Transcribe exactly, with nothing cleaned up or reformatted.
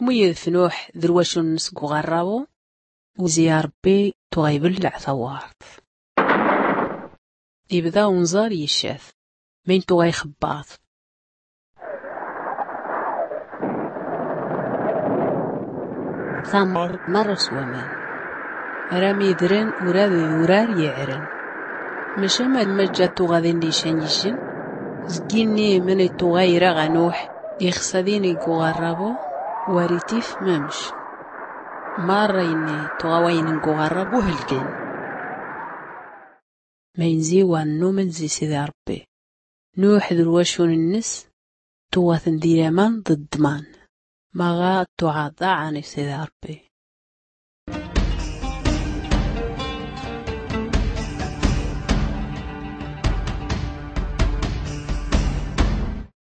Wi yedf nuḥ d rwacun-ns g uɣarrabu. Uzi a rbbi tuɣa ibllaɛ tawwart. Ibda unẓar yiccat mayn tuɣa ixebbaḍ. Tamar marra s waman. Ara midren ura d urar yiɛren. Maca ma d majja tuɣa din d ican ijjen. Zginni mani tuɣa ira ɣa nuḥ ixsa din ig uɣarrabu. War itif mamc. Marra inni tuɣa wayn ig uɣarrabu helgen. Mayn zi war nnumen zi sidi a rbbi. Nuḥ d rwacun-nnes tuɣa ten d iraman d ddman. Maɣa tuɣa ḍaɛan i sidi a rbbi.